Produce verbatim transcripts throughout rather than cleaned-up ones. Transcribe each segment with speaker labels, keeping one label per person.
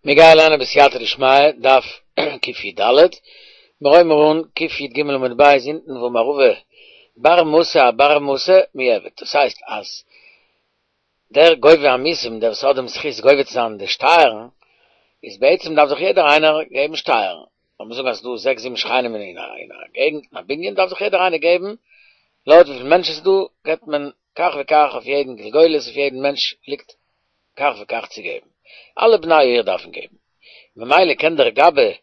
Speaker 1: מיר גייען לערנען בסייעתא דשמיא, דף קי"ד, מיר הויבן אן קי"ג עמוד ב' אונטן ואמר רבא בר מתא אבר מתא מיעבד, דאס הייסט אז דער גובה המיסים, דער וואס האט דעם זכות גובה צו זיין די שטייערן, איז בעצם דארף זיך יעדער איינער געבן שטייערן, לאמיר זאגן אז ס'איז דא זעקס זיבן שכנים אין א געגנט, אין א בנין, דארף זיך יעדער איינער געבן, לויט וויפיל מענטשן ס'איז דא, געבט מען כך וכך אויף יעדן גולגולת, אויף יעדן מענטש ליגט כך וכך צו געבן. אלע בני העיר דארפן געבן. ממילא קען דער גבאי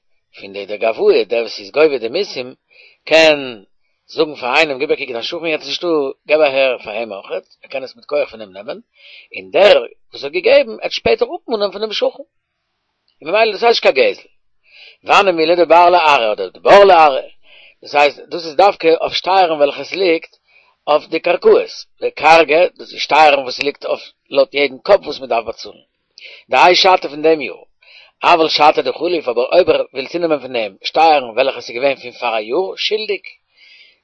Speaker 1: פון די דער גבאי, דער וואס איז גובה די מיסים, קען זאגן פאר איינעם גיב א קוק דיין שכן יעצט נישטא, געב אהער פאר אים אויכעט, ער קען עס מיט כח פון אים נעמען, און דער וואס האט געגעבן עט שפעטער אפמאנען פון דעם שכן. און ממילא דאס הייסט נישט קיין גזל. והני מילי דבר לארעא אדער דבר לארעא, דאס הייסט דאס איז דווקא אויף שטייערן וועלכע עס ליגט אויף די קרקעות, לכרגא, דאס איז שטייערן וואס ליגט אויף לויט יעדן קאפ וואס מען דארף באצאלן. דהאי שתא פון דעם יאר. אבל שתא דחליף, אבער אויב ער וויל צונעמען פון דעם שטייערן וועלכע עס איז געווען פון פאר א יאר שולדיג,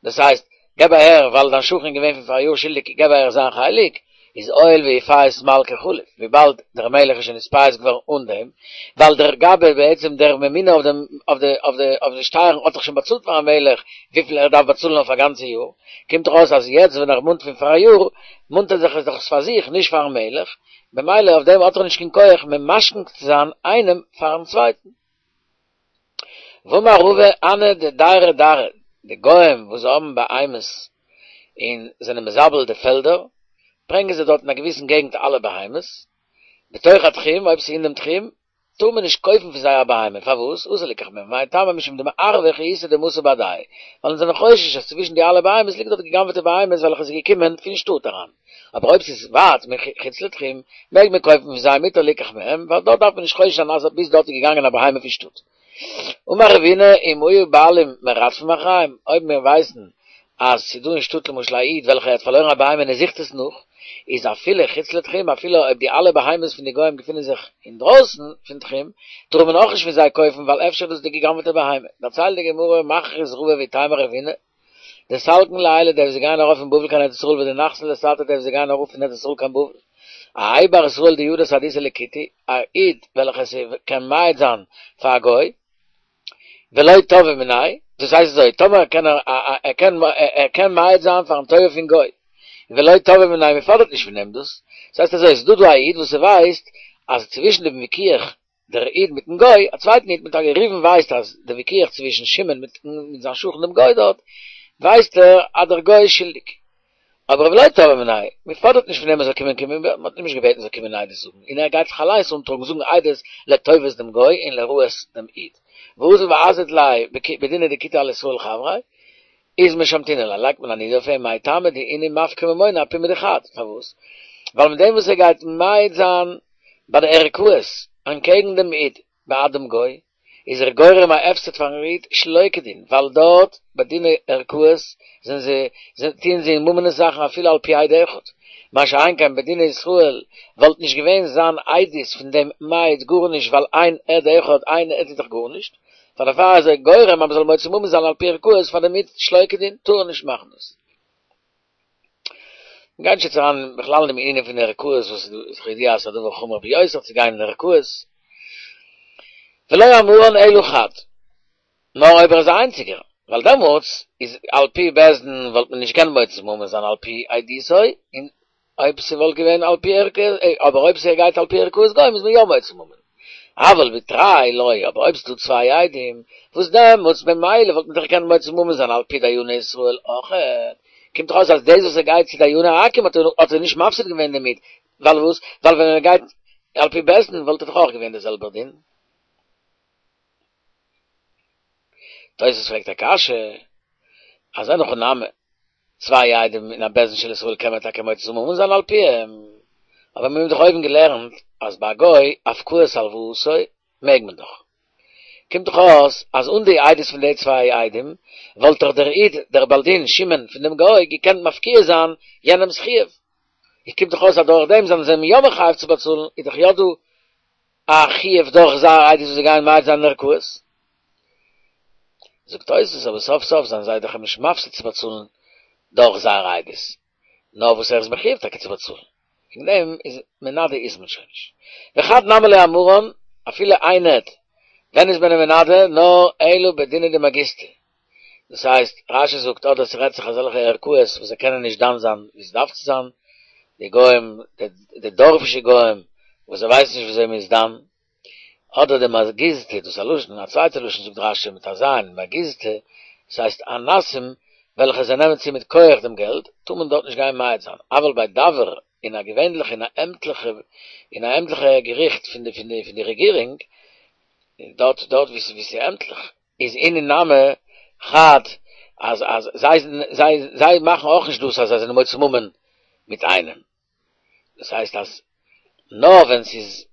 Speaker 1: דאס הייסט, געב אהער ווייל דיין שכן איז געווען פון פאר א יאר שולדיג געב אהער זיין חלק, איז הואיל ואיפייס מלכא חליף, וויבאלד דער מלך איז שוין נתפייס געווארן אן דעם, ווייל דער גבאי בעצם דער ממונה אויף דעם אויף די אויף די אויף די שטייערן האט דאך שוין באצאלט פארן מלך וויפיל ער דארף באצאלן אויף א גאנצע יאר, קומט דאך אויס אז יעצט ווען ער מאנט פון פאר א יאר, מאנט ער זיך עס דאך פאר זיך נישט פארן מלך, במילא אויף דעם האט ער נישט קיין כח ממשכן צו זיין איינעם פארן צווייטן. ואמר רבא הני דדיירי דרעא, די גוים וואס האבן בהמות און זענען מזבל די פעלדער, ברענגען זיי דארט אין א געוויסן געגנט אלע בהמות, בתוך התחום, אויב ס'איז אין דעם תחום, טאר מען נישט קויפן פון זיי א בהמה, פארוואס? אסור ליקח מהם, מאי טעמא משום דמערבא חיותא דמתא בהדייהו, ווייל אונז זענען חושש אז צווישן די אלע בהמות ליגט דארט גע'גנב'עטע בהמות וועלכע איז געקומען פון שטאט אריין, אבער אויב ס'איז ווייט מחוץ לתחום, מעג מען קויפן פון זיי מותר ליקח מהם, ווייל דארט דארף מען נישט חושש זיין אז ביז דארט איז געגאנגען א בהמה פון שטאט. אמר רבינא אם היו בעלים מרדפים אחריהם, אויב מיר ווייסן אז ס'איז דא אין שטאט למשל א איד וועלכער האט פארלוירן א בהמה און ער זוכט עס נאך, איז אפילו חוץ לתחום, אפילו אויב די אלע בהמות פון די גוים געפינען זיך אינדרויסן פון תחום, טאר מען אויך נישט פון זיי קויפן ווייל אפשר איז דאס די גע'גנב'עטע בהמה. דערציילט די גמרא, מכריז רבא ואיתימא רבינא, דסלקין לעילא די וואס גייען ארויף פון בבל קיין ארץ ישראל ודנחתין לתתא די וואס גייען אראפ פון ארץ ישראל קיין בבל. האי בר ישראל דידע סהדותא לכותי, א איד וועלכער ס'קען מעיד זיין פאר א גוי, ולא תבעי מיניה, דאס הייסט אזוי, טאמער קען ער ער קען ער קען מעיד זיין פארן טובה פון גוי, ולא תבעי מיניה, מען פאדערט נישט פון אים דאס, דאס הייסט אזוי, ס'איז דא דא א איד וואס ס'ווייסט אז צווישן דעם וויכוח דער איד מיטן גוי, א צווייטן איד מיט א גוי, ראובן ווייסט אז דער וויכוח צווישן שמעון מיט מיט זיין שכן דעם גוי דארט, ווייסט ער אז דער גוי איז שולדיג. אבער ולא תבעי מיניה, מען פאדערט נישט פון אים ער זאל קומען קומען, מען האט אים נישט געבעטן ער זאל קומען עדות זאגן, און ער גייט זיך אליינס אנטראגן זאגן עדות לטובת דעם גוי און לרעת דעם איד. ואזיל ואזיל ליה בדינא דכותי על ישראל חבריה, איז משמתינן ליה, לייגט מען א נידוי אויף אים, מאי טעמא דאינהו מפקע ממונא אפומא דחד, פארוואס? ווייל מיט דעם וואס ער גייט מעיד זיין ביי די ערכאות אנטקעגן דעם איד בעד דעם גוי, איז ער גורם א הפסד פארן איד שלא כדין, ווייל דארט ביי דיני ערכאות זענען זיי טוען זיי אין ממונות זאכן אפילו על פי עד אחד, מה שאין כן בדיני ישראל וואלט נישט געווען זיין עדות פון דעם מעיד גארנישט ווייל אין עד אחד איין עד איז דאך גארנישט, פאר דערפאר איז ער גורם אז מ'זאל מוציא ממון זיין על פי ערכאות פאר דעם איד שלא כדין, טאר ער נישט מאכן דאס. מ'גייט נישט יעצט אריין בכלל אין דעם ענין פון ערכאות וואס איז כידוע אז ס'איז א דבר חמור ביותר צו גיין אין ערכאות. ולא אמרן אלא חד, נאר אויב ער איז א איינציגער, ווייל דעמאלטס איז על פי בית דין וואלט מען נישט געקענט מוציא ממון זיין על פי עדותו, און אויב ס'וואלט געווען על פי ערכאות, אבער אויב ס'גייט על פי ערכאות גוים איז מען יא מוציא ממון. אבל בתרי לא, אבער אויב ס'דא צוויי עדים, וואס דעמאלטס במילא וואלט מען דאך געקענט מוציא ממון זיין על פי דייני ישראל אויכעט, קומט דאך אויס אז דאס וואס ער גייט צו דייני עכו"ם האט ער נישט מפסיד געווען דערמיט, ווייל וואס? ווייל ווען ער גייט על פי בית דין וואלט ער דאך אויך געווען דער זעלבער דין. תוס' פרעגט א קשיא, אז אין הכי נמי, צוויי עדים אין א בית דין של ישראל קען מען טאקע מוציא ממון זיין על פיהם, אבער מיר האבן דאך אויבן געלערנט אז ביי א גוי הפקעת הלוואתו מעג מען דאך. קומט דאך אויס אז אן די עדות פון די צוויי עדים וואלט דאך דער איד דער בעל דין שמעון פון דעם גוי געקענט מפקיע זיין יענעמ'ס חיוב. איז קומט דאך אויס אז דורך דעם זענען זיי אים יא מחייב צו באצאלן, איז דאך יא דא א חיוב דורך זייער עדות וואס זיי גייען מעיד זיין אין ערכאות. זאגט תוס' אבער סוף סוף זענען זיי דאך אים נישט מפסיד צו באצאלן דורך זייער עדות, נאר וואס ער איז מחויב טאקע צו באצאלן, וועגן דעם איז מנדה איז מען שוין נישט. וחד נמי לא אמרן, אפילו איין עד, ווען איז מען אים מנדה? נאר אלא בדינא דמגיסתא. דאס הייסט, רשי זאגט אדער ס'רעדט זיך אזעלכע ערכאות וואס זיי קענען נישט דן זיין ווי ס'דארף צו זיין, די גוים, די דארפישע גוים וואס זיי ווייסן נישט וויאזוי מ'איז דן, אדער די מגיסתא, דאס איז א לשון, א צווייטע לשון זאגט רשי מיט א ז', מגיסתא, דאס הייסט אנסים וועלכע זיי נעמען צו מיט כח דעם געלט, טאר מען דארט נישט גיין מעיד זיין, אבל ביי דבר, אין א געווענליכע אין א עמטליכע אין א עמטליכע געריכט פון די פון די פון די רעגירונג, דארט דארט ווי ס'איז עמטליך, איז אינהו נמי חד אז אז זיי זיי זיי מאכן אויך נישט דאס אז זיי זענען מוציא ממון מיט איינעם, דאס הייסט אז נאר ווען ס'איז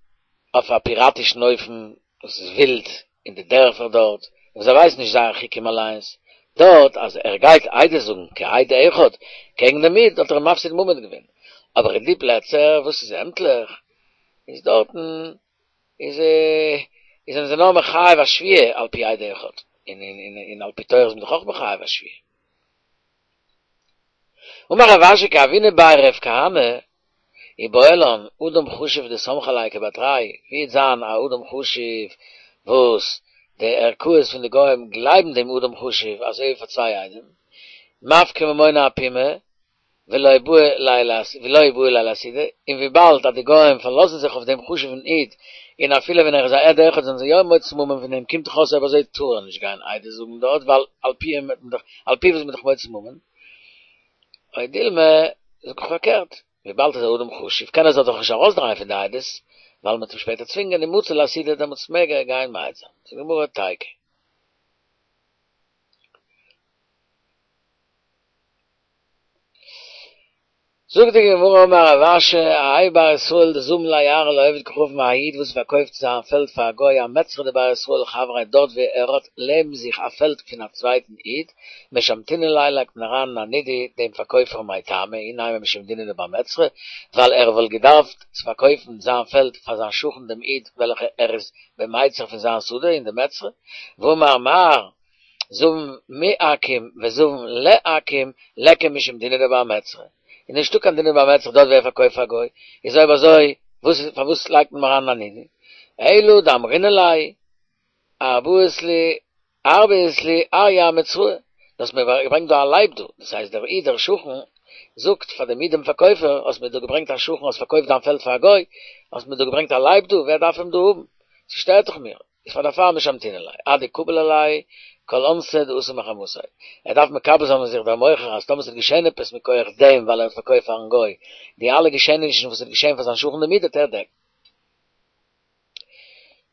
Speaker 1: אויף א פיראטישן אופן וואס איז ווילד אין די דערפער דארט, און זיי ווייסן נישט זייער חוקים אליינס, דארט אז ער גייט עדות זאגן כעד אחד קעגן דעם איד האט ער אים מפסיד ממון געווען, אבער אין די פלעצער וואס איז עמטליך איז דארטן איז איז זענען זיי נאר מחייב א שבועה על פי עד אחד, און און על פי תורה איז מען דאך אויך מחייב א שבועה. אמר רב אשי כי הוינא בי רב כהנא איבעיא לן אדם חשוב דסמכי עליה כבר תרי, ווי וועט זיין א אדם חשוב וואס די ערכאות פון די גוים גלייבן דעם אדם חשוב אזוי ווי פאר צוויי עדים, מפקע ממונא אפומיה ולא בעי ליה לאסהודי, און וויבאלד אז די גוים פארלאזן זיך אויף דעם חשוב'ן איד, און אפילו ווען ער איז א עד אחד זענען זיי יא מוציא ממון פון דעם, קומט דאך אויס אויב אזוי טאר ער נישט גיין עדות זאגן דארט, ווייל על פי אים וועט מען דאך, על פיו איז מען דאך מוציא ממון. או דילמא, זאג איך פארקערט, וויבאלד ער איז א אדם חשוב קען ער זיך דאך נישט ארויסדרייען פון די עדות, ווייל מען וועט אים שפעטער צווינגען און מצי לאסהודי דעמאלטס מעג ער גיין מעיד זיין. זאגט די גמרא תיקו. זאגט די גמרא אמר רב אשי, האי בר ישראל דזבין ליה ארעא לעובד כוכבים א איד וואס פארקויפט זיין פעלד פאר א גוי אמצרא דבר ישראל חבריה דארט ווי ער האט לעבן זיך א פעלד פון א צווייטן איד, משמתינן ליה לייגט מען אריין אין א נידוי דעם פארקויפער מאי טעמא אי נימא משום דינא דבר מצרא ווייל ער וואלט געדארפט צו פארקויפן זיין פעלד פאר זיין שכן דעם איד וועלכע ער איז במיצר פון זיין שדה אין די מצרא והאמר מר זבין מעכו"ם וזבין לעכו"ם ליכא משום דינא דבר מצרא, איז נישטא קיין דינא דבר מצרא דארט ווי ער פארקויפט פאר גוי, איז אויב אזוי וואס איז פארוואס לייגט מען אים אריין אין א נידוי? אלא דאמרינן ליה ארבעית לי ארבעית לי אריא אמצראי, דו האסט מיר געברענגט דא א לייב דא, דאס הייסט דער איד דער שכן זאגט פאר דעם איד דעם פארקויפער האסט מיר דא געברענגט א שכן האסט פארקויפט דיין פעלד פאר א גוי, האסט מיר דא געברענגט א לייב דא, ווער דארף אים דא האבן? ס'שטערט דאך מיר. איז פאר דערפאר משמתינן ליה, עד דקביל עליה כל אונסא דאתא מחמתיה. ער דארף מקבל זיין אויף זיך דער מוכר אז טאמער ס'וועט געשען עפעס מכח דעם ווייל ער האט פארקויפט פארן גוי, די אלע געשעענישן וואס וועט געשען פאר זיין שכן דעם איד וועט ער דעקן.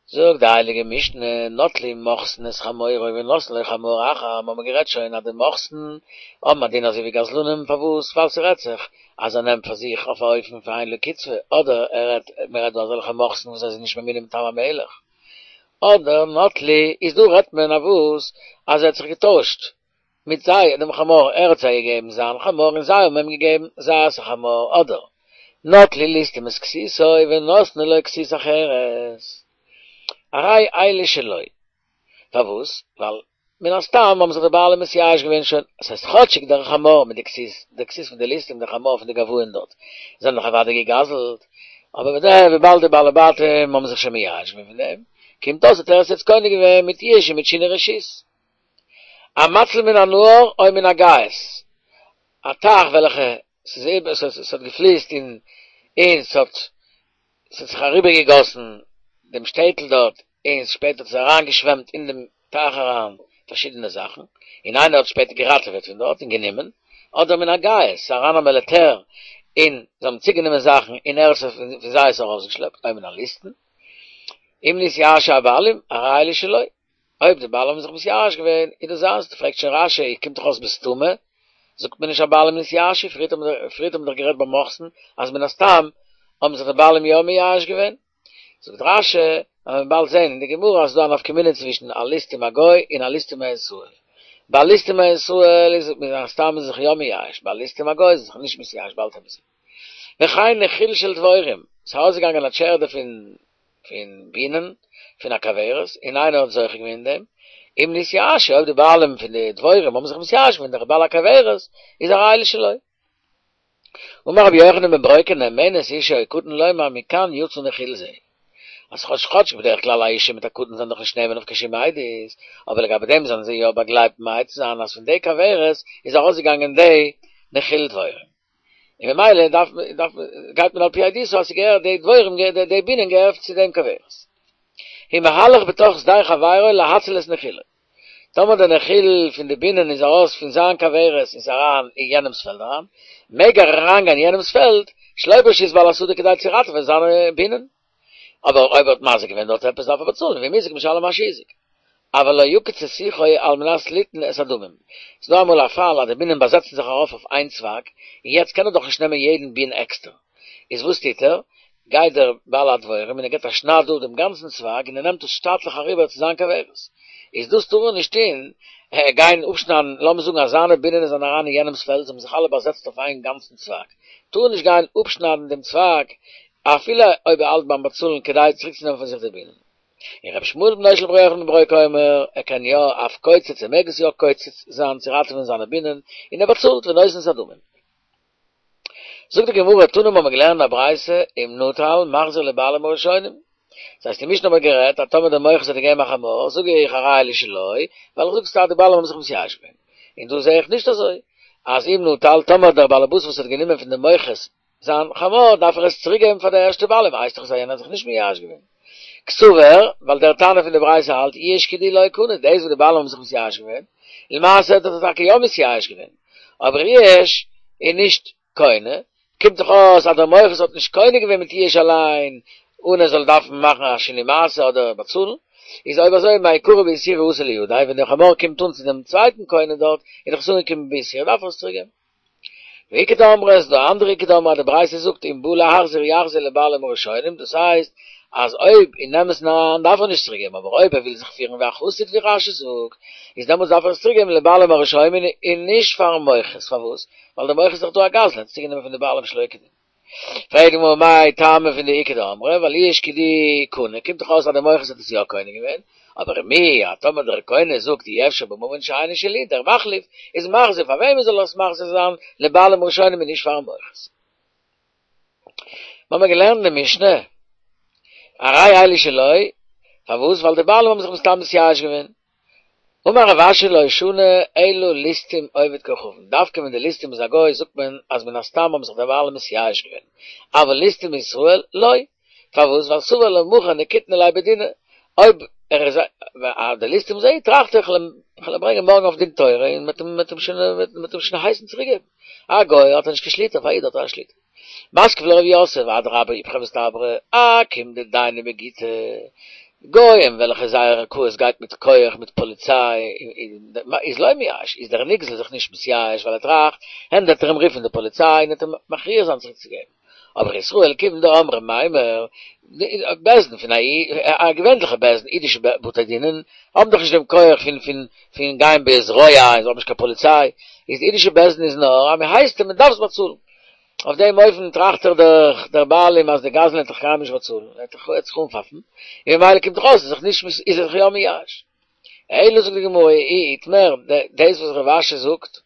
Speaker 1: זאגט די הייליגע משנה, נטלו מוכסין את חמורו ונתנו לו חמור אחר, מ'האמיר גערעדט שוין אז די מוכסין האבן א דין אזוי ווי גזלנים, פארוואס? ווייל ס'רעדט זיך אז ער נעמט פאר זיך אויף א אופן פון אין לו קצבה, אדער ער רעדט, מען רעדט דא אזעלכע מוכסין וואס זיי זענען נישט ממונים מטעם המלך, אדער נטלו, איז דא רעדט מען אויף וואס אז ער האט זיך געטוישט מיט זיי דעם חמור, ער האט זיי געגעבן זיין חמור און זיי האבן אים געגעבן זייערס א חמור, אדער נטלו ליסטים את כסותו ונתנו לו כסות אחרת, הרי אלו שלו, פארוואס? ווייל מן הסתם האבן זיך די בעלים מתייאש געווען שוין, עס הייסט כאטשיג דער חמור מיט די כסות, די כסות פון די ליסטים, דער חמור פון די גבאים דארט, זענען דאך אוודאי געגזלט, אבער מיט דעם וויבאלד די בעלי בתים האבן זיך שוין מייאש געווען פון דעם, קומט אויס האט ער עס יעצט קונה געווען מיט יאוש און מיט שינוי רשות. המציל מן הנהר או מן הגייס, א טייך וועלכע ס'איז איבער, ס'האט געפליסט און און ס'האט ס'האט זיך אריבערגעגאסן דעם שטעטל דארט, און שפעטער האט עס אריינגעשוועמט אין דעם טייך אריין פארשידענע זאכן, און איינער האט שפעטער געראטעוועט פון דארט און גענומען, אדער מן הגייס, ס'איז אריין א מיליטער און זיי האבן צוגענומען זאכן און ער האט פון זיי עס ארויסגעשלעפט, או מן הליסטין, אם נתייאשו הבעלים, הרי אלו שלו. אויב די בעלים האבן זיך מתייאש געווען, איז דאס זיינס, פרעגט שוין רש"י, קומט דאך אויס בסתמא, זאגט מען נישט הבעלים נתייאשו, פריערט האט מען דאך גערעדט ביי מוכסין אז מן הסתם האבן זיך די בעלים יא מייאש געווען, זאגט רש"י, וועט מען באלד זען אין די גמרא אז ס'איז דא א נפקא מינה צווישן א ליסטים א גוי און א ליסטים א ישראל, ביי ליסטים א ישראל איז מן הסתם איז זיך יא מייאש, ביי ליסטים א גוי איז זיך נישט מתייאש, באלד וועט מען זען. וכן נחיל של דבורים, ס'איז ארויסגעגאנגען א טשערדע פון פון בינען פון א כוורת, און איינער האט זוכה געווען אין דעם, אם נתייאשו, אויב די בעלים פון די דבורים האבן זיך מתייאש געווען, דער בעל הכוורת איז הרי אלו שלו. אמר רבי יוחנן בן ברוקה נאמנת אשה או קטן לומר מכאן יצא נחיל זה. אז כאטש כאטש בדרך כלל א אישה מיט א קטן זענען דאך נישט נאמן אויף קיין שום עדות, אבער לגבי דעם זענען זיי יא באגלייבט מעיד צו זיין אז פון די כוורת איז ארויסגעגאנגען די נחיל דבורים. און ממילא דארף דארף גייט מען על פי עדותו אז ס'געהערט די דבורים די בינען געהערט צו דעם כוורת. המהלך בתוך שדה חברו להציל את נחילו. טאמער די נחיל פון די בינען איז ארויס פון זיין כוורת און איז אריין אין יענעמס פעלד אריין, מעג ער אריינגיין אין יענעמס פעלד שלא ברשות בעל השדה כדי צו ראטעווען זיינע בינען. אבער אויב ער האט מזיק געווען דארט עפעס דארף ער באצאלן, ואם הזיק משלם מה שהזיק. אבל לא יקיץ את שיחו על מנת ליתן את הדמים. ס'איז דא אמאל א פאל אז די בינען באזעצן זיך ארויף אויף איין צוואג, און יעצט קען ער דאך נישט נעמען יעדן בין עקסטער. איז וואס טוט ער? גייט דער בעל הדבורים און ער געבט א שנייד אפ דעם גאנצן צוואג און ער נעמט עס שטאטליך אריבער צו זיין כוורת. איז דאס טאר ער נישט טון, גיין אפשניידן, לאמיר זאגן אז זיינע בינען זענען אריין אין יענעמס פעלד, זיי האבן זיך אלע באזעצט אויף איין גאנצן צוואג, טאר ער נישט גיין אפשניידן דעם צוואג אפילו אויב ער האלט ביים באצאלן כדי צוריקצונעמען פון זיך די בינען. און רבי ישמעאל בנו של רבי יוחנן בן ברוקה אומר, ער קען יא אף קוצץ, ער מעג עס יא קוצץ זיין צו ראטעווען זיינע בינען, און ער באצאלט ונותן את הדמים. זאגט די גמרא, תנא האבן מיר געלערנט א ברייתא, אם נטל מחזיר לבעלים הראשונים. דאס הייסט אין משנה האבן מיר גערעדט אז טאמער דער מוכס האט געגעבן א חמור, זאג איך הרי אלו שלו, ווייל איך זאג סתם די בעלים האבן זיך מתייאש געווען. און דא זע איך נישט אזוי, אז אם נטל, טאמער דער בעלעבאס וואס האט גענומען פון דעם מוכס זיין חמור, דארף ער עס צוריק געבן פאר די ערשטע בעלים, הייסט דאך אז יענער האט זיך נישט מייאש געווען. קסבר, ווייל דער תנא פון די ברייתא האלט יאוש כדי לא קנה, דאס וואס די בעלים האבן זיך מתייאש געווען, למעשה האט ער זיך טאקע יא מתייאש געווען, אבער יאוש איז נישט קונה, קומט דאך אויס אז דער מוכס האט נישט קונה געווען מיט יאוש אליין, אן ער זאל דארפן מאכן א שינוי מעשה אדער באצאלן, איז אויב אזוי מעיקרא באיסורא אתא לידיה, ווען דער חמור קומט אן צו דעם צווייטן קונה דארט, איז דאך עס אנגעקומען באיסורא, דארף ער עס צוריק געבן. ואיכא דאמרי ס'איז דא אנדערע איכא דאמרי אז די ברייתא זאגט אם בא להחזיר יחזיר לבעלים הראשונים דאס הייסט אז אויב אין אמת'ן אריין דארף ער נישט צוריק געבן אבער אויב ער וויל זיך פירן ווי א חסיד ווי רש"י זאגט איז דעמאלטס דארף ער עס צוריק געבן לבעלים הראשונים און נישט פארן מוכס פארוואס ווייל דער מוכס איז דאך דא א גזלן ער האט עס צוגענומען פון די בעלים שלא כדין. פרעגט די גמרא מאי טעמא פון די איכא דאמרי ווייל יאוש כדי קנה קומט דאך אויס אז דער מוכס האט עס יא קונה געווען אבער מיהו אז טאמער דער קונה זאגט אי אפשר בממון שאינו שלי דער מחליף איז מחזיר פאר וועמען זאל ער עס מחזיר זיין לבעלים הראשונים און נישט פארן מוכס. מ'האמיר געלערנט אין די משנה הרי אלו שלו פארוואס ווייל די בעלים האבן זיך מסתם מתייאש געווען אמר רב אשי לא שנו אלא ליסטים עובד כוכבים, דווקא ווען די ליסטים איז א גוי זאגט מען אז מן הסתם האבן זיך די בעלים מתייאש געווען, אבל ליסטים מישראל לא, פארוואס ווייל סבר למחר נקיטנא ליה בדינא, אויב ער איז א די ליסטים איז א איד טראכט ער כ'על אים ברענגען מארגן אויף דין תורה און מ'עט אים שוין הייסן צוריק געבן, א גוי האט ער נישט קיין שליטה אויף א איד האט ער א שליטה. מתקיף לה רב יוסף, אדרבה איפכא מסתברא, עכו"ם דדייני בגיטא, גוים וועלכע זייער ערכאות גייט מיט כח מיט פאליציי, איז לא מייאש, איז דער נגזל זיך נישט מתייאש ווייל ער טראכט, הן וועט ער אים רופן די פאליציי און וועט אים מכריח זיין צוריק צו געבן. אבער ישראל כיוון דאמרי מימר, בית דין פון א א געווענליכע בית דין, אידישע בתי דינען האבן דאך נישט דעם כח פון פון פון גיין בזרוע און זיי האבן נישט קיין פאליציי, איז די אידישע בית דין איז נאר אז מען הייסט אים מען דארף עס באצאלן. אויף דעם אופן טראכט דאך דער דער בעלים אז דער גזלן וועט דאך קיינמאל נישט באצאלן, ער וועט זיך אנפאפן, און ממילא קומט דאך אויס איז זיך נישט איז ער זיך יא מייאש. אלא זאגט די גמרא אי איתמר, דאס וואס רב אשי זאגט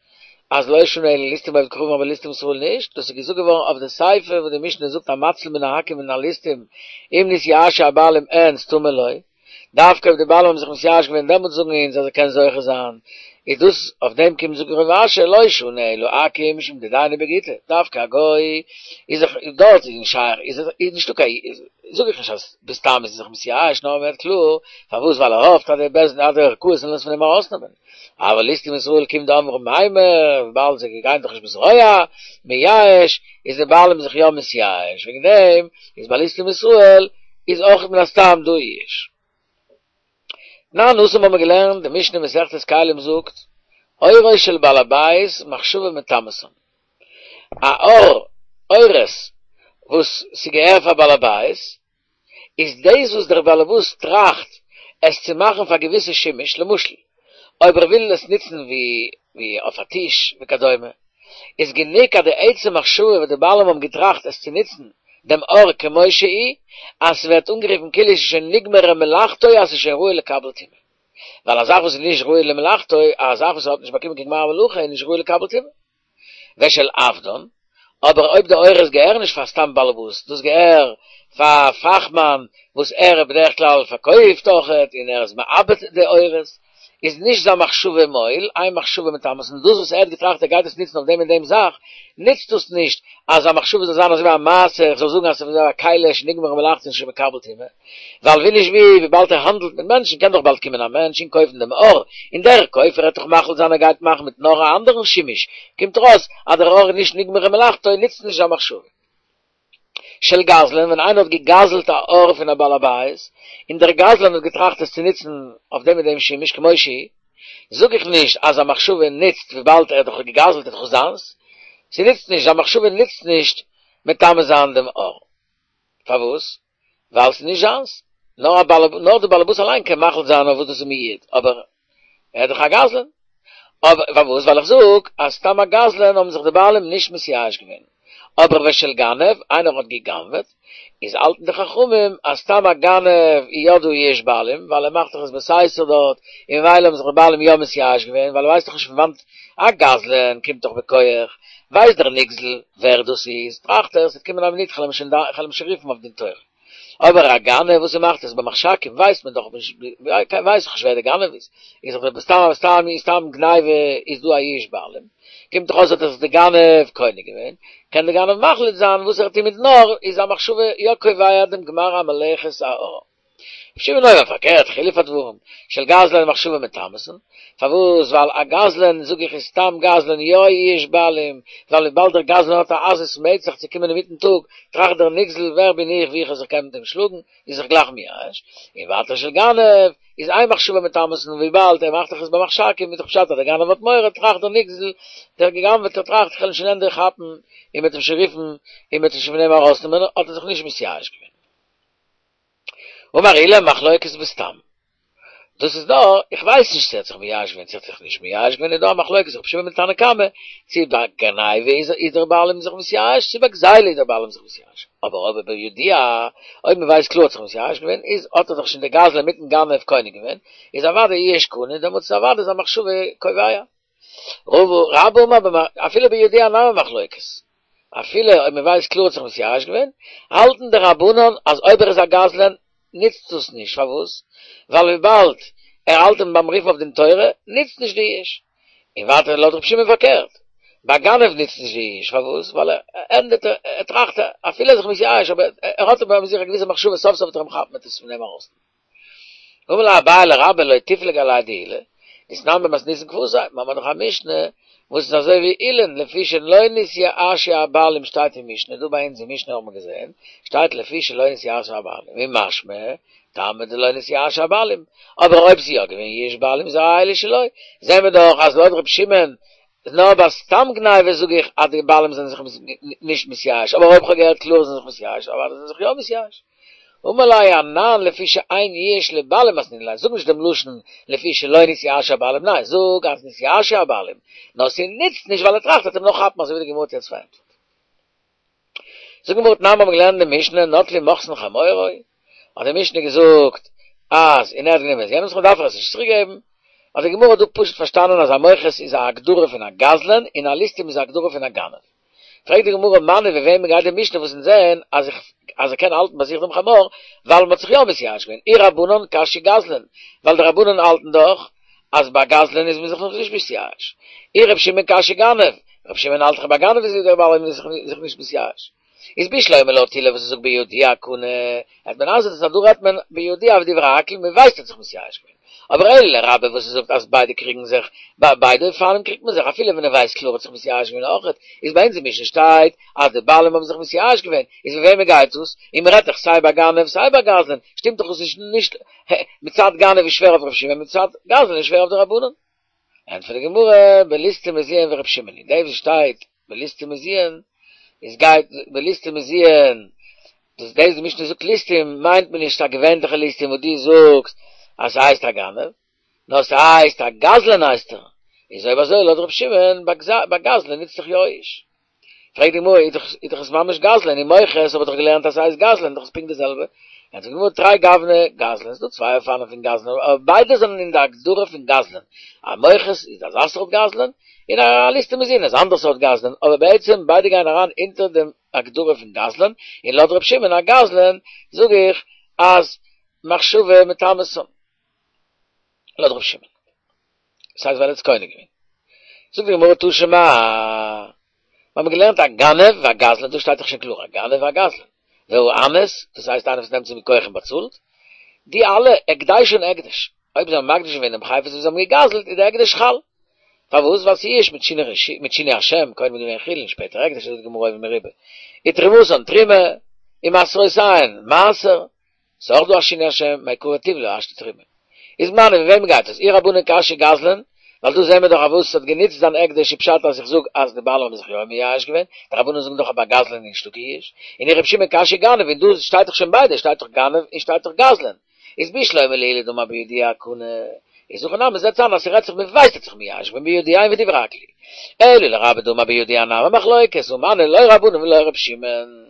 Speaker 1: אז לא שנו אלא ליסטים עובד כוכבים אבער ליסטים ישראל נישט, דאס איז געזאגט געווארן אויף די סיפא וואס די משנה זאגט המציל מן העכו"ם ומן הליסטים אם נתייאשו הבעלים אין סתמא לא, דווקא אויב די בעלים האבן זיך מתייאש געווען דעמאלטס זאגן אונז אז ער קען זוכה זיין, איז דאס אויף דעם קומט זאגן רב אשי לא שנו אלא עכו"ם משום דדייני בגיטא, דווקא א גוי איז זיך דארט איז נישט שייך איז איז נישטא קיין זאג איך נישט אז בסתם איז ער זיך מתייאש נאר מ'רעדט קלאר פארוואס ווייל ער האפט אז די בית דין אז די ערכאות זאלן עס פון אים ארויסנעמען אבל ליסטים מישראל כיון דאמרי מימר וויבאלד זיי גייען דאך נישט בזרוע מייאש איז די בעלים זיך יא מתייאש וועגן דעם איז ביי ליסטים מישראל איז אויך מן הסתם דא יאוש. תנן התם האבן מיר געלערנט, די משנה אין מסכת כלים זאגט, עורו של בעל הבית מחשבה מטמאתן. א עור, עורות, וואס ס'געהער פאר בעל הבית, איז דאס וואס דער בעלעבאס טראכט עס צו מאכן פאר געוויסע שימוש, למשל אויב ער וויל עס נוצן ווי ווי אויף א טיש וכדומה, איז גענוג אז די עצם מחשבה וואס די בעלים האבן געטראכט עס צו נוצן דעם עור כמו שהיא, אז ס'ווערט אנגערופן כאילו עס איז שוין נגמרה מלאכתו אז ס'איז שוין ראוי לקבל טומאה. ווייל א זאך וואס איז נישט ראוי למלאכתו, א זאך וואס האט נישט באקומען קיין גמר מלאכה איז נישט ראוי לקבל טומאה. ושל עבדן, אבער אויב די עורות געהערן נישט פאר סתם באלעבאס, דאס געהער פאר פאכמאן וואס ער בדרך כלל פארקויפט אויכעט און ער איז מעבד די עורות, איז נישט זיין מחשבה מועיל, אין מחשבה מטמאתן, און דאס וואס ער האט געטראכט ער גייט עס נוצן אויף דעם און דעם זאך, נוצט דאס נישט אז זיין מחשבה זאל זיין אזוי ווי א מעשה, איך זאל זאגן אז ס'איז אזוי ווי א כלי שנגמרה מלאכתו און שוין מקבל טומאה, ווייל ווי נישט ווי, וויבאלד ער האנדלט מיט מענטשן קען דאך באלד קומען א מענטש און קויפן דעם עור, און דער קויפער העט דאך מחליט זיין ער גייט מאכן מיטן עור א אנדערן שימוש, קומט ארויס אז דער עור איז נישט נגמרה מלאכתו און נוצט נישט זיין מחשבה. של גזלן, ווען איינער האט געגזלט א עור פון א בעל הבית, און דער גזלן האט געטראכט עס צו נוצן אויף דעם און דעם שימוש כמו שהיא, זאג איך נישט אז זיין מחשבה נוצט וויבאלד ער האט דאך געגזלט איז דאך זיינס, ס'נוצט נישט, זיין מחשבה נוצט נישט מטמא זיין דעם עור. פארוואס? ווייל ס'איז נישט זיינס, נאר א בעל נאר דער בעל הבית אליין קען מחליט זיין אויף וואס דאס איז מיועד, אבער ער איז דאך א גזלן. אבער פארוואס? ווייל איך זאג אז סתם א גזלן האבן זיך די בעלים נישט מתייאש געווען. אבער ושל גנב, איינער האט גע'גנב'עט, איז האלטן די חכמים אז סתם א גנב איז יא דא יאוש בעלים, ווייל ער מאכט דאך עס בסתר דארט, און ממילא האבן זיך די בעלים יא מתייאש געווען, ווייל ער ווייסט דאך נישט פון וואנט א גזלן קומט דאך בכח, ווייסט דער נגזל ווער דאס איז, טראכט ער, ס'וועט קומען א מינוט כ'על אים שוין רופן אויף דין תורה. אבער א גנב וואס ער מאכט עס במחשכים ווייסט מען דאך נישט, ווייס איך נישט ווער דער גנב איז, איז דאך סתם סתם סתם גניבה איז דא א יאוש בעלים, קומט דאך אויס האט עס די גנב קונה געווען, קען די גנב מחליט זיין וואס ער טוט מיטן עור, איז א מחשבה יא קובע דעם גמר המלאכת העור. רבי שמעון אומר פארקערט חילוף הדברים, של גזלן מחשבה מטמאתן, פארוואס ווייל א גזלן זאג איך איז סתם גזלן יא יאוש בעלים, ווייל וויבאלד דער גזלן האט א עזות מצח צו קומען אינמיטן טאג, טראכט דער נגזל ווער בין איך ווי איך זיך קען מיט אים שלאגן, איז זיך גלייך מייאש, און ווייטער של גנב איז אין מחשבה מטמאתן וויבאלד ער מאכט דאך עס במחשכים איז דאך פשט אז דער גנב האט מורא טראכט דער נגזל דער געגנבעטער טראכט איך וועל אים שוין ענדערש כאפן און מ'וועט אים שוין רופן און מ'וועט אים שוין פון אים ארויסנעמען האט ער זיך נישט מתייאש געווען. אמר עולא מחלוקת בסתם. דאס איז דא, איך ווייס נישט צו ער האט זיך מייאש געווען צו ער האט זיך נישט מייאש געווען, איז דא א מחלוקת רבי שמעון מיט תנא קמא, צו ביי גניבה איז איז דער בעלים זיך מתייאש, צו ביי גזילה איז דער בעלים זיך מתייאש. אבער אויב בידוע, אויב מען ווייסט קלאר האט זיך מתייאש געווען, איז האט ער דאך שוין דער גזלן מיטן גנב קונה געווען, איז אוודאי יאוש קונה, דעמאלטס איז אוודאי זיין מחשבה קובע. רבה אמר אפילו בידוע נמי מחלוקת. אפילו אויב מען ווייסט קלאר האט זיך מתייאש געווען, האלטן די רבנן אז אויב ער איז א גזלן נוצט דאס נישט, פארוואס? ווייל וויבאלד ער האלט אים ביים רופן אויף דין תורה, נוצט נישט די יאוש. און ווייטער לויט רבי שמעון פארקערט, ביי גנב נוצט נישט די יאוש, פארוואס? ווייל ער ענדערט ער טראכט אפילו ער איז זיך מתייאש אבער ער האט ביי זיך א געוויסע מחשבה סוף סוף וועט ער אים כאפן מיט עס פון אים ארויס. אמר ליה אביי לרבה לא תיפלוג עליה דעולא, דתנן במתניתין כוותיה, מיר האבן דאך א משנה וואס איז אזוי ווי עולא'ן לפי שלא נתייאשו הבעלים שטייט אין משנה, דא ביי אונז אין משנה האט מען געזען, שטייט לפי שלא נתייאשו הבעלים, ומשמע, טעמא דלא נתייאשו הבעלים, אבער אויב ס'איז יא געווען יאוש בעלים איז אלו שלו, זעהן מיר דאך אז לויט ר' שמעון נאר ביי סתם גניבה זאג איך אז די בעלים זענען זיך נישט מתייאש, אבער אויב כ'האב געהערט קלאר זענען זיך מתייאש, אוודאי זענען זיך יא מתייאש. אמר ליה אנן לפי שאין יאוש לבעלים מתנינן ליה, זאג נישט דעם לשון לפי שלא נתייאשו הבעלים, ניין, זאג אז נתייאשו הבעלים, נאר ס'נוצט נישט ווייל ער טראכט וועט אים נאך כאפן אזוי ווי די גמרא האט יעצט פארענטפערט. זאגט די גמרא תנן מיר האבן געלערנט די משנה נטלו מוכסין חמורו, האט די משנה געזאגט אז און ער האט גענומען יענעמס דארף ער עס נישט צוריק געבן, האט די גמרא דא פשוט פארשטאנען אז א מוכס איז א הגדרה פון א גזלן און א ליסטים איז א הגדרה פון א גנב. פרעגט די גמרא מני ווי וועמען גייט די משנה וואס אונז זעהן אז איך אז ער קען האלטן ביי זיך דעם חמור ווייל מ'האט זיך יא מתייאש געווען, אי רבנן קשיא גזלן, ווייל די רבנן האלטן דאך אז ביי גזלן איז מען זיך נאך נישט מתייאש, אי ר' שמעון קשיא גנב, ר' שמעון האלט דאך ביי גנב איז דער בעל זיך נישט מתייאש. איז בשלמא לויט עולא וואס ער זאגט בידוע קנה, העט מען איינזעצן אז דא רעדט מען בידוע ודברי הכל מען ווייסט ער האט זיך מתייאש געווען. אבער אלא לרבה וואס ער זאגט אז ביידע קריגן זיך, ביי ביידע אופנים קריגט מען זיך אפילו ווען ער ווייסט קלאר האט זיך מתייאש געווען אויכעט, איז ביי אונז אין משנה שטייט אז די בעלים האבן זיך מתייאש געווען, איז ווי וועמען גייט דאס? און מען רעדט דאך סיי ביי גנב סיי ביי גזלן, שטימט דאך דאס נישט נישט מצד גנב איז שווער אויף ר' שמעון מצד גזלן איז שווער אויף די רבנן. ענטפערט די גמרא, בליסטים מזוין ור' שמעון היא, דאס וואס שטייט בליסטים מזוין, איז גייט בליסטים מזוין, דאס דאס די משנה זאגט ליסטים מיינט מען נישט א געווענליכע ליסטים וואס דו זאגסט אז ס'הייסט א גנב, נאר ס'הייסט א גזלן הייסט ער, איז אויב אזוי לויט ר' שמעון ביי גזלן נוצט זיך יא יאוש. פרעגט די גמרא, איז דאך איז דאך עס ממש גזלן, און מוכס האב איך דאך געלערנט אז ס'הייסט גזלן, דאך איז פונקט די זעלבע, ענטפערט די גמרא תרי גווני גזלן, ס'דא צוויי אופנים פון גזלן, אבער ביידע זענען אין די הגדרה פון גזלן, א מוכס איז אזא סארט גזלן, און א ליסטים מזוין איז אנדער סארט גזלן, אבער בעצם ביידע גייען אריין אונטער דעם הגדרה פון גזלן, און לויט ר' שמעון א גזלן זאג איך אז מחשבה מטמאתן. לויט ר' שמעון. דאס הייסט ווייל ער האט עס קונה געווען. זאגט די גמרא תא שמע, מיר האבן געלערנט א גנב והגזלן, דא שטייט דאך שוין קלאר א גנב והגזלן, והאנס, דאס הייסט איינער וואס נעמט צו מיט כח און באצאלט, די אלע הקדשן הקדש, אויב זיי האבן מקדיש געווען דעם חפץ וואס זיי האבן געגזלט איז די הקדש חל. פארוואס? ווייל ס'איז יאוש מיט שינוי השם, קודם איז געווען חולין שפעטער הקדש, זאגט די גמרא אויבן מרובה. ותרומתן תרומה, ומעשרותיהן מעשר, ס'איז אויך דא א שינוי השם, מעיקרא טובלא השתא תרומה. איז מני ווי וועמען גייט עס? אי רבנן קשיא גזלן, ווייל דא זעהן מיר דאך אז וואס ס'האט גענוצט זיין הקדש איז פשט אז איך זאג אז די בעלים האבן זיך יא מייאש געווען, די רבנן זאגן דאך אז ביי גזלן איז נישטא קיין יאוש, און אי רבי שמעון קשיא גנב, און דא שטייט דאך שוין ביידע, שטייט דאך גנב און שטייט דאך גזלן. איז בשלמא לעולא דאמר בידוע קנה, איז הכא נמי זעט זיין אז ס'רעדט זיך מ'ווייסט האט זיך מייאש געווען בידוע און ודברי הכל היא. אלא לרבה דאמר בידוע נמי מחלוקת, הא מני לא רבנן ולא ר' שמעון.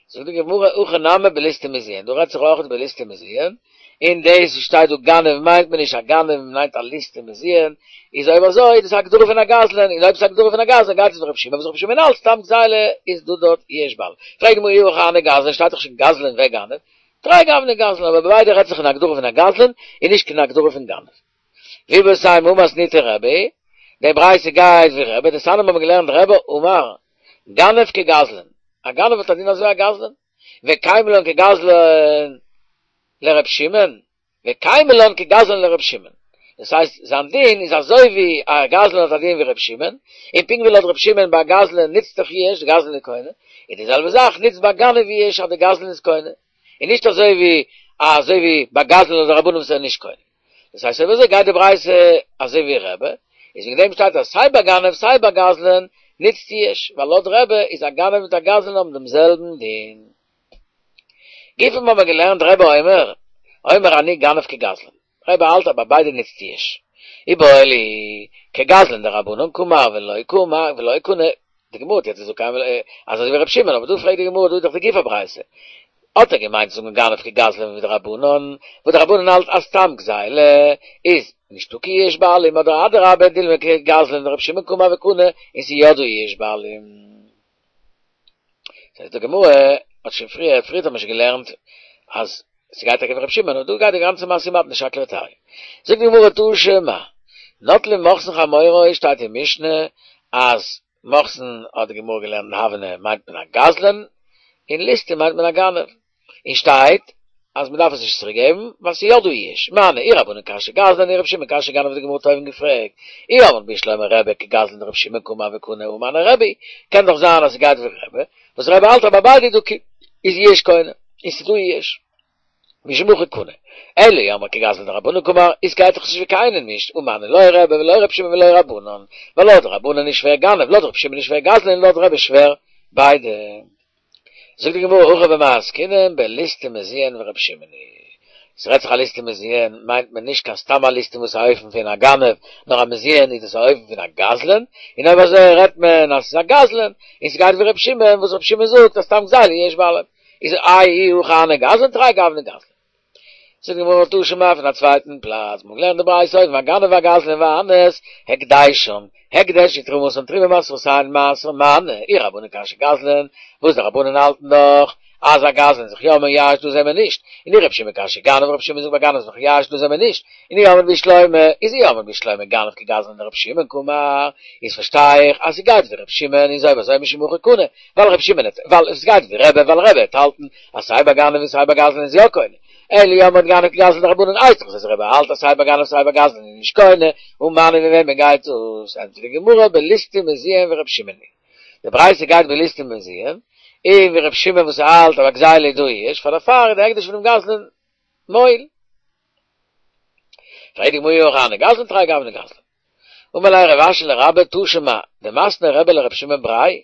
Speaker 1: זאגט די גמרא הכא נמי בליסטים מזוין, דא רעדט זיך אויך בליסטים מזוין, און דאס וואס שטייט דא גנב מיינט מען נישט א גנב מען מיינט א ליסטים מזוין, איז אויב אזוי איז דאס א הגדרה פון א גזלן, און אויב ס'איז א הגדרה פון א גזלן גייט עס ווי ר' שמעון, וואס ר' שמעון האלט סתם גזילה איז דא דארט יאוש בעלים. פרעגט די גמרא אי הכי הני גזלן שטייט דאך שוין גזלן וגנב, תרי גווני גזלן, אבער ביי ביידע רעדט זיך אין הגדרה פון א גזלן און נישט קיין הגדרה פון גנב. ואיבעית אימא הא מתניתין רבי, די ברייתא גייט ווי רבי, דתניא האבן מיר געלערנט רבי אמר, גנב כגזלן, א גנב האט א דין אזוי א גזלן, וקיימא לן כגזלן לר' שמעון, וקיימא לן כגזלן לר' שמעון, דאס הייסט זיין דין איז אזוי ווי א גזלן האט א דין ווי ר' שמעון, און פונקט ווי לויט ר' שמעון ביי א גזלן נוצט דאך יאוש, די גזלן איז קונה, און די זעלבע זאך נוצט ביי גנב יאוש אז די גזלן איז קונה, און נישט אזוי ווי אזוי ווי ביי גזלן לויט די רבנן וואס ער איז נישט קונה. דאס הייסט אויב אזוי גייט די ברייתא אזוי ווי רבי, איז וועגן דעם שטייט אז סיי ביי גנב סיי ביי גזלן נוצט יאוש, ווייל לויט רבי איז א גנב מיט א גזלן האבן דעם זעלבן דין. גופא האבן מיר געלערנט רבי אומר, אומר אני גנב כגזלן. רבי האלט אז ביי ביידע נוצט יאוש. איבעיא להו, כגזלן דרבנן קאמר ולא קאמר ולא קנה, די גמרא האט יעצט געזאגט קיימא אז אזוי ווי רבי שמעון, אבער דא פרעגט די גמרא דא איז דאך די גוף הברייתא. האט ער געמיינט צו זאגן גנב כגזלן ווי די רבנן, וואס די רבנן האלט אז סתם גזילה איז נישטא קיין יאוש בעלים אדער אדרבה דילמא כגזלן דרבי שמעון קאמר וקנה און ס'איז יא דא יאוש בעלים. זאגט די גמרא, האט שוין פריער, פריער האט מען שוין געלערנט אז ס'גייט טאקע ווי רבי שמעון, אבער דא גייט די גאנצע משא ומתן שקלא וטריא. זאגט די גמרא תא שמע, נוטלין מוכסין חמורו שטייט אין משנה אז מוכסין האט די גמרא געלערנט אין הבנה מיינט מען א גזלן, און ליסטים מיינט מען א גנב. און שטייט אז מ'דארף עס נישט צוריק געבן ווייל ס'איז יא דא יאוש. מני, אי רבנן קשיא גזלן אי רבי שמעון קשיא גנב האט די גמרא אויבן געפרעגט. אי אמרת בשלמא רבי כגזלן דרבי שמעון קאמר וקנה הא מני רבי. קען דאך זיין אז ס'גייט ווי רבי, וואס רבי האלט אז ביי ביידע איז דא איז יאוש קונה, און ס'איז דא יאוש. משום הכי קנה. אלא אי אמרת כגזלן דרבנן קאמר, איז גייט דאך נישט ווי קיינעם נישט, הא מני לא רבי ולא רבי שמעון ולא רבנן, ווייל לויט רבנן איז שווער גנב, לויט רבי שמעון איז שווער גזלן און לויט רבי איז שווער ביידע. זאגט די גמרא הכא במאי עסקינן בליסטים מזוין ורבי שמעון היא. ס'רעדט זיך א ליסטים מזוין מיינט מען נישט קיין סתם א ליסטים וואס איז א אופן פון א גנב, נאר א מזוין איז דאס א אופן פון א גזלן, און אויב אזוי רעדט מען אז ס'איז א גזלן, און ס'גייט ווי רבי שמעון וואס רבי שמעון זאגט אז סתם גזילה יאוש בעלים איז איי אי הכי הני גזלן תרי גווני גזלן. זאגט די גמרא תא שמע פון א צווייטן פלאץ, מ'האט געלערנט די ברייתא אויבן הגנב והגזלן והאנס, הקדשן, הקדש ותרומתן תרומה ומעשרותיהן מעשר מני, אי רבנן קשיא גזלן, וואס די רבנן האלטן דאך אז א גזלן איז זיך יא מייאש דא זעמער נישט, און אי רבי שמעון קשיא גנב רבי שמעון זאגט ביי גנב איז זיך מייאש דא זעמער נישט, און אי אמרת בשלמא, איז אי אמרת בשלמא גנב כגזלן דרבי שמעון קאמר, איז פארשטיי איך אז ס'גייט ווי רבי שמעון איז אויב אזוי משום הכי קנה, ווייל רבי שמעון האט, ווייל עס גייט ווי רבי, ווייל רבי האט האלטן אז סיי ביי גנב און סיי ביי גזלן איז יא קונה, אלא אי אמרת גנב כגזלן דרבנן הייסט דאך אז רבי האלט אז סיי ביי גנב סיי ביי גזלן איז נישט קונה, הא מני ווי וועמען גייט דאס? ענטפערט די גמרא בליסטים מזוין ורבי שמעון היא. די ברייתא גייט בליסטים מזוין, און ווי רבי שמעון וואס האלט אז ביי גזילה איז דא יאוש, פאר דערפאר איז די הקדש פונעם גזלן מועיל. פרעגט די גמרא אי הכי הני גזלן תרי גווני גזלן. אמר ליה רב אשי לרבה תא שמע, דמתני רבי לרבי שמעון בריה,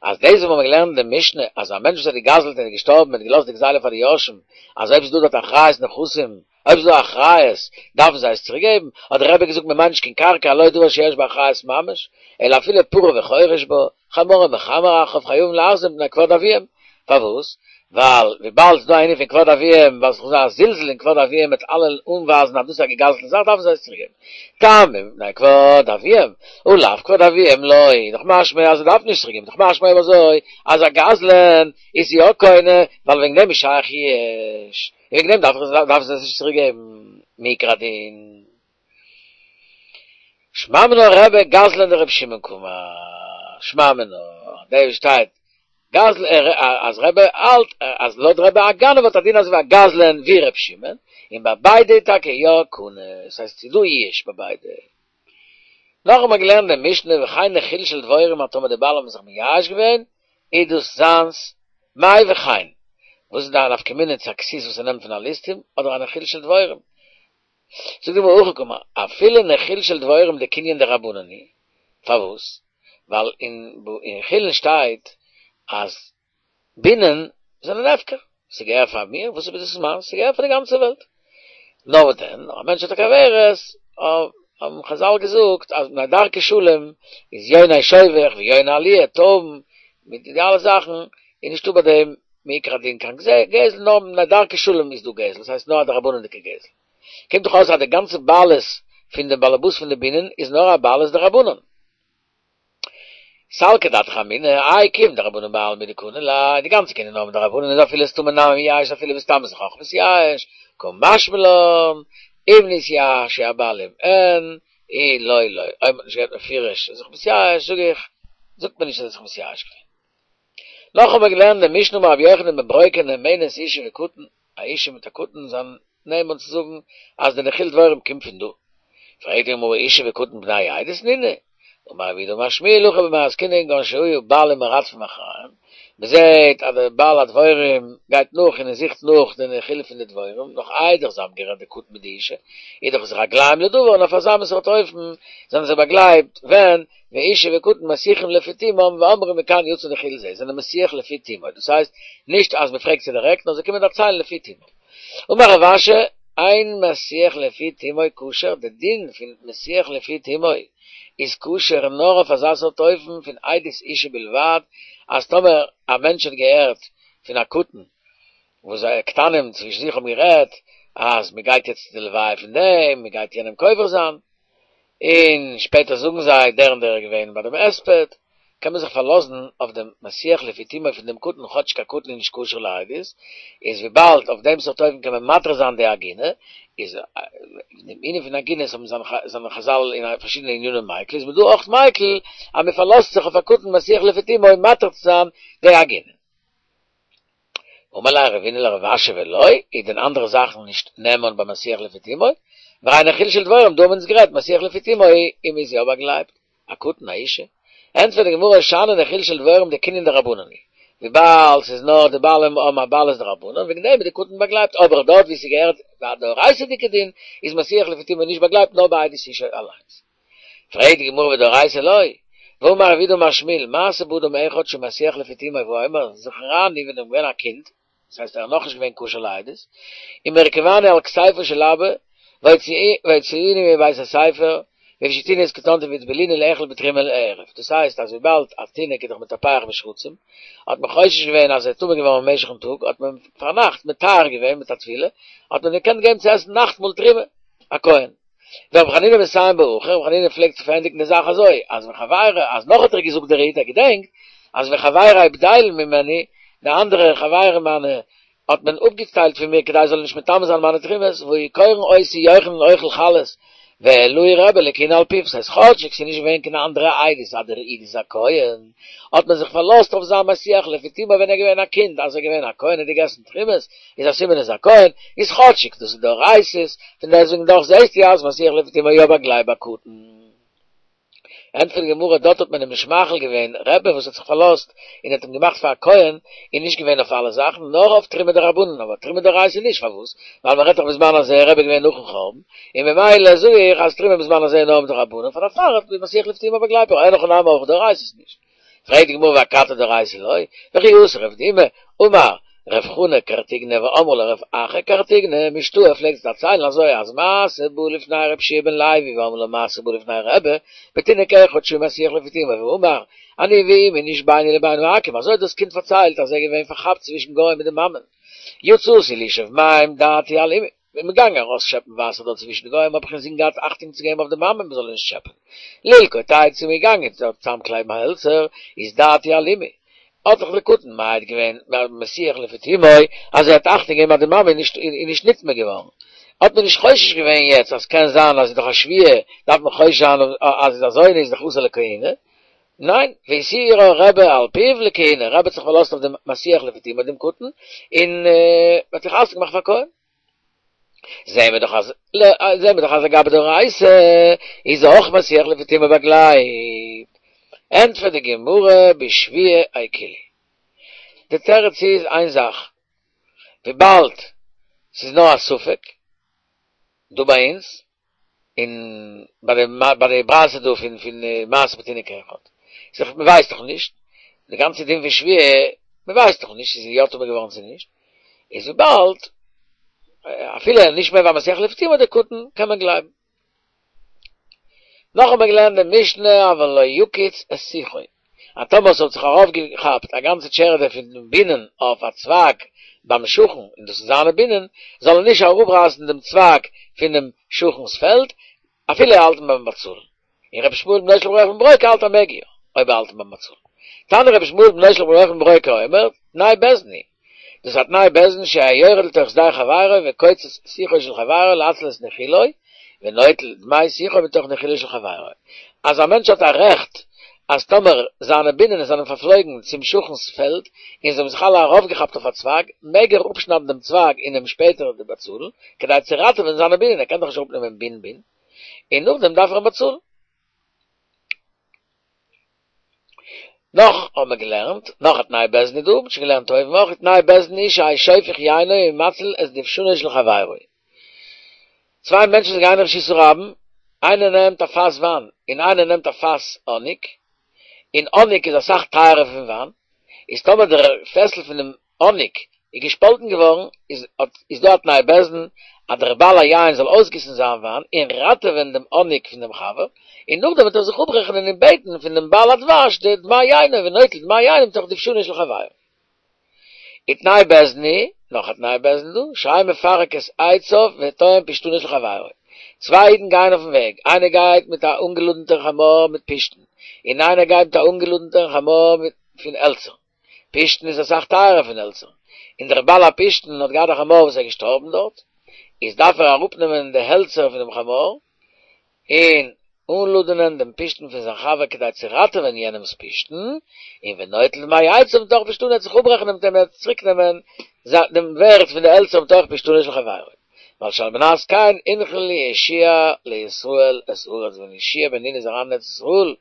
Speaker 1: אז דאס וואס מיר האבן געלערנט אין די משנה אז א מענטש וואס האט געגזלט און איז געשטארבן און האט געלאזט די גזילה פאר די יורשים, אז אויב ס'איז דא דארט אחריות נכסים, אויב ס'איז דא אחריות, דארפן זיי עס צוריק געבן, האט דער רבי געזאגט מען מיינט נישט קיין קרקע הלא דבר שיש בו אחריות ממש, אלא אפילו פרה וחורש בה, חמור ומחמר אחריו חייבים להחזיר מפני כבוד אביהם, פארוואס? ווייל וויבאלד ס'איז דא א ענין פון כבוד אביהם, ווייל ס'איז דא א זלזול אין כבוד אביהם מיט אלע אנווייזן אז דאס איז א געגזלטע זאך דארפן זיי עס צוריקגעבן. טעמא מפני כבוד אביהם, ולאו כבוד אביהם לא, איז דאך משמע אז זיי דארפן נישט צוריקגעבן, איז דאך משמע אויב אזוי אז א גזלן איז יא קונה, ווייל וועגן דעם איז שייך ייאוש, און וועגן דעם דארפן זיי עס נישט צוריקגעבן מעיקר הדין. שמע מינה רבי גזלן דרבי שמעון קאמר, שמע מינה, דא שטייט גזל אז רבי האלט אז לויט רבי א גנב האט א דין אזוי ווי א גזלן ווי רבי שמעון, און ביי ביידע איז טאקע יא קונה, ס'הייסט ס'איז דא ייאוש ביי ביידע. נאך האט מען געלערנט די משנה וכן נחיל של דבורים אז טאמער די בעלים האבן זיך מייאש געווען איז דאס זיינס, מאי וכן? וואס איז די נפקא מינה צו א כסות וואס ער נעמט פון א ליסטים אדער א נחיל של דבורים? זאגט די גמרא הכי קאמר, אפילו נחיל של דבורים דקנין דרבנן הוא, פארוואס? ווייל אין חולין שטייט אז בינען זענען הפקר, ס'געהער פאר מיר, וואס איז דאס מיינס? ס'געהער פאר די גאנצע וועלט. נאר וואס דען, א מענטש האט א כוורת, האבן חזל געזאגט אז מפני דרכי שלום איז יוני שובך ויוני עליה, טויבן, מיט די אלע זאכן, איז נישטא ביי דעם מעיקר הדין קיין גזל, נאר מפני דרכי שלום איז דא גזל, דאס הייסט נאר א דרבנן'דיגע גזל. קומט דאך אויס אז די גאנצע בעלות פון דעם באלעבאס פון די בינען איז נאר א בעלות דרבנן. סלקא דעתך אמינא, איי כיוון דרבנן בעלמא הוא דקני ליה, די גאנצע קנין נאר מדרבנן איז אפילו סתמא נמי מייאש אפילו בסתם איז אויך מתייאש, קא משמע לן, אם נתייאשו הבעלים אין, אי לא לא, אויב מ'האט נישט געהערט מפורש איז זיך מתייאש זאג איך, זאגט מען נישט אז ער איז זיך מתייאש געווען. נאך האבן מיר געלערנט די משנה אמר רבי יוחנן בן ברוקה נאמנת אשה וקטן, א אישה מיט א קטן זענען נאמן צו זאגן אז די נחיל דבורים קומט פון דא. פרעגט די גמרא אשה וקטן בני עדות נינהו, אמר רב יהודה אמר שמואל הכא במאי עסקינן כגון שהיו בעלים מרדפים אחריהם, מען זעט אז דער בעל הדבורים גייט נאך און ער זוכט נאך די נחיל פון די דבורים נאך איידער זיי האבן גערעדט די קטן מיט די אישה, איז דאך עס רגליים לדבר און אויף אזא מין סארט אופן זענען זיי באגלייבט ווען ואשה וקטן מסיחים לפי תומם ואומרים מכאן יצא נחיל זה, זענען מסיח לפי תומו, דאס הייסט נישט אז מען פרעגט זיי דירעקט נאר זיי קומען דערציילן לפי תומם. אמר רב אשי, אין מסיח לפי תומו כשר, די דין פון מסיח לפי תומו איז כשר נאר אויף אזא סארט אופן פון עדות אישה בלבד, אז טאמער א מענטש האט געהערט פון א קטן וואס זיי קטנים צווישן זיך האבן גערעדט אז מען גייט יעצט צו די לוויה פון דעם, מען גייט יענעם קובר זיין, און שפעטער זאגן זיי דער און דער איז געווען ביי דעם הספד, קען מען זיך פארלאזן אויף דעם מסיח לפי תומו פון דעם קטן כאטשיג א קטן איז נישט כשר לעדות, איז וויבאלד אויף דעם סארט אופן קען מען מתיר זיין די עגונה, איז אין דעם ענין פון עגונות האבן זענען חזל אין פארשידענע ענינים מיקל, איז מען דא אויך מיקל אז מען פארלאזט זיך אויף א קטן מסיח לפי תומו מתיר צו זיין די עגונה. אמר ליה רבינא לרב אשי ולא, איז דען אנדערע זאכן נישט נאמן ביי מסיח לפי תומו? והרי נחיל של דבורים, דא האבן אונז גערעדט מסיח לפי תומו, און מ'איז יא באגלייבט, א קטן א אישה. ענטפערט די גמרא שאני נחיל של דבורים דקנין דרבנן הוא, וויבאלד ס'איז נאר די בעלים האבן א בעלות דרבנן, וועגן דעם איז די קטן באגלייבט, אבער דארט ווי ס'געהערט א דאורייתא'דיגע דין, איז מסיח לפי תומו נישט באגלייבט נאר ביי עדות אישה אליינס. פרעגט די גמרא ודאורייתא לא, והאמר רב יהודה אמר שמואל, מעשה באדם אחד שמסיח לפי תומו והיה אומר זכורני ווען איך בין געווען א קינד, דאס הייסט ער איז נאכנישט געווען כשר לעדות, ומרכבני על כתפו של אבא, והוציאוני מבית הספר, והפשיטוני את כתנתי והטבילוני לאכול בתרומה לערב, דאס הייסט אז וויבאלד א תינוק איז דאך מטפח בשרצים, האט מען חושש געווען אז ער איז טמא געווארן במשך'ן טאג, האט מען פארנאכט מטהר געווען מיט א טבילה, האט מען געקענט געבן צו עסן נאכטמאל תרומה, א כהן. ורבי חנינא מסיים בה הכי, רבי חנינא פלעגט צו פארענדיגן די זאך אזוי, אז וחברי, אז נאך האט ער געזאגט דער איד, ער געדענקט, אז וחברי בדילין ממני, די אנדערע חברים מיינע האט מען אפגעטיילט פון מיר כדי זאלן נישט מטמא זיין מיינע תרומות, והיו קורין אותי יוחנן אוכל חלות, והעלהו רבי לכהונה על פיו, ס'הייסט כאטשיג ס'איז נישט געווען קיין אנדערע עדות אז דער איד איז א כהן, האט מען זיך פארלאזט אויף זיין מסיח לפי תומו ווען ער איז געווען א קינד, אז ער איז געווען א כהן און געגעסן תרומות, איז א סימן איז א כהן, איז כאטשיג דאס איז דאורייתא'ס, פון דעסטוועגן דאך זעסטו אז מסיח לפי תומו יא באגלייבט ביי קטן. ענטפערט די גמרא, דארט האט מען אים נישט מאכיל געווען, רבי וואס האט זיך פארלאזט און האט אים געמאכט פאר א כהן, איז נישט געווען אויף אלע זאכן, נאר אויף תרומה דרבנן, אבער תרומה דאורייתא נישט, פארוואס? ווייל מען רעדט דאך בזמן הזה, רבי איז געווען נאכן חורבן, און ממילא זאג איך אז תרומה בזמן הזה איז נאר מדרבנן, פאר דערפאר האט מען מסיח לפי תומו באגלייבט, אבער אין הכי נמי אויך דאורייתא'ס נישט. פרעגט די גמרא ואכתי דאורייתא לא, וכי אתא רב דימי, אמר, רב חונא קרטיגנא ואמרי לה רב אחא קרטיגנא משתעי פלעגט זי דערציילן אזוי אז מעשה בא לפני רבי יהושע בן לוי ואמרי לה מעשה בא לפני רבי בתינוק אחד שהיה מסיח לפי תומו ואמר אני ואמי נשבינו לבין העכו"ם אזוי האט דאס קינד פארציילט אז ער איז געווען פארכאפט צווישן גוים מיט די מאמען יצאתי לשאוב מים דעתי על אמי כ'בין געגאנגען ארויסשעפן וואסער דארט צווישן די גוים האב איך אינזין געהאט אכטונג צו געבן אויף די מאמע מען זאל איר נישט טשעפען ללקוט עצים כ'בין געגאנגען דארט צוזאמקלייבן העלצער איז דעתי על אמי האט זיך דער קטן מעיד געווען מסיח לפי תומו אז ער האט אכטונג געגעבן אז די מאמע איז נישט איז נישט נטמא געווארן, האט מען נישט חושש געווען יעצט אז קען זיין אז איז דאך א שבויה דארף מען חושש זיין אז איז א זונה איז דאך אסור לכהונה, ניין, והסירה רבי על פיו לכהונה, רבי האט זיך פארלאזט אויף דעם מסיח לפי תומו דעם קטן, און האט זיך חתונה געמאכט פאר כהן. זעהן מיר דאך אז זעהן מיר דאך אז לגבי דאורייתא איז אויך מסיח לפי תומו באגלייבט. ענטפערט די גמרא בשבויה איקילו. די תירוץ איז איין זאך, וויבאלד ס'איז נאר א ספק דא ביי אונז, און ביי די ביי די ברייתא דא פון פון מעשה בתינוק אחד, איז דאך מ'ווייסט דאך נישט, די גאנצע דין פון שבויה, מ'ווייסט דאך נישט צו זי איז יא טמא געווארן צו נישט, איז וויבאלד אפילו נישט מער ווי א מסיח לפי תומו דער קטן קען מען גלייבן. נאך האט מען געלערנט די משנה אבל לא יקיץ את שיחו, אז טאמער עס האט זיך ארויפגעכאפט א גאנצע טשערעדע פון בינען אויף א צווייג ביים שכן און דאס איז זיינע בינען, זאל ער נישט אראפרייסן דעם צווייג פונעם שכן'ס פעלד אפילו ער האלט אים ביים באצאלן. און רבי ישמעאל בנו של רבי יוחנן בן ברוקה האלט אז מעג יא, אויב ער האלט אים ביים באצאלן. תנא רבי ישמעאל בנו של רבי יוחנן בן ברוקה אומר, תנאי בית דין הוא, דאס איז א תנאי בית דין שיהא יורד לתוך שדה חברו וקוצץ שיחו של חברו להציל את נחילו, ונוטל דמי שיחו מתוך נחילו של חברו. אז א מענטש האט א רעכט אז טאמער זיינע בינען זענען פארפלויגן צום שכן'ס פעלד און זיי האבן זיך אלע ארויפגעכאפט אויף א צווייג, מעג ער אפשניידן דעם צווייג און אים שפעטער באצאלן, כדי צו ראטעווען זיינע בינען, ער קען דאך נישט אראפנעמען בין בין, און נאכדעם דארף ער אים באצאלן. נאך האבן מיר געלערנט, נאך א תנאי בית דין איז דא, מ'האט שוין געלערנט אויבן אויך, תנאי בית דין הוא שיהא שופך יינו ומציל את דובשנו של חברו. צוויי מענטשן וואס גייען אין רשות הרבים, איינער נעמט א פאס וויין און איינער נעמט א פאס האניג, און האניג איז אסאך טייערער פון וויין, איז טאמער דער פעסל פונעם האניג איז געשפאלטן געווארן, איז איז דא א תנאי בית דין אז דער בעל היין זאל אויסגיסן זיין וויין און ראטעווען דעם האניג פון דעם חבר, און נאכדעם וועט ער זיך אפרעכענען און בעטן פון דעם בעל הדבש די דמי יינו ונוטל דמי יינו מתוך דובשנו של חברו. ותנאי בית דין הוא, נאך א תנאי בית דין דא, שיהא מפרק את עציו וטוען פשתנו של חברו. צוויי אידן גייען אויפן וועג, איינער גייט מיט א אנגעלאדענטער חמור מיט פשתן, און איינער גייט מיט א אנגעלאדענטער חמור מיט פון העלצער. פשתן איז אסאך טייערער פון העלצער, און דער בעל הפשתן האט געהאט א חמור וואס איז געשטארבן דארט, איז דארף ער אראפנעמען די העלצער פונעם חמור, און אנלאדענען דעם פשתן פון זיין חבר כדי צו ראטעווען יענעמ'ס פשתן, און ונוטל דמי עציו מתוך פשתנו ער וועט זיך אפרעכענען מיט אים ער וועט צוריק נעמען דעם ווערט פון די העלצער מתוך פשתנו של חברו. ווייל שעל מנת כן הנחיל יהושע לישראל את הארץ ווען יהושע בן נון איז אריין אין ארץ ישראל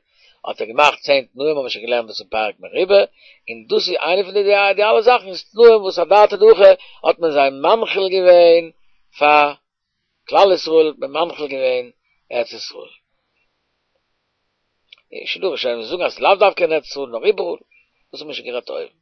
Speaker 1: האט ער געמאכט צען תנאים האבן מיר שוין געלערנט דאס אין פרק מרובה, און דאס איז איינע פון די די אלע זאכן איז תנאים וואס אדעתא דהכי האט מען זיי מנחיל געווען פאר כלל ישראל האט מען מנחיל געווען ארץ ישראל. און שוין דא ראשונים וואס זאגן אז ס'איז לאו דווקא אין ארץ ישראל נאר איבעראל, דאס האט מען שוין גערעדט אויבן.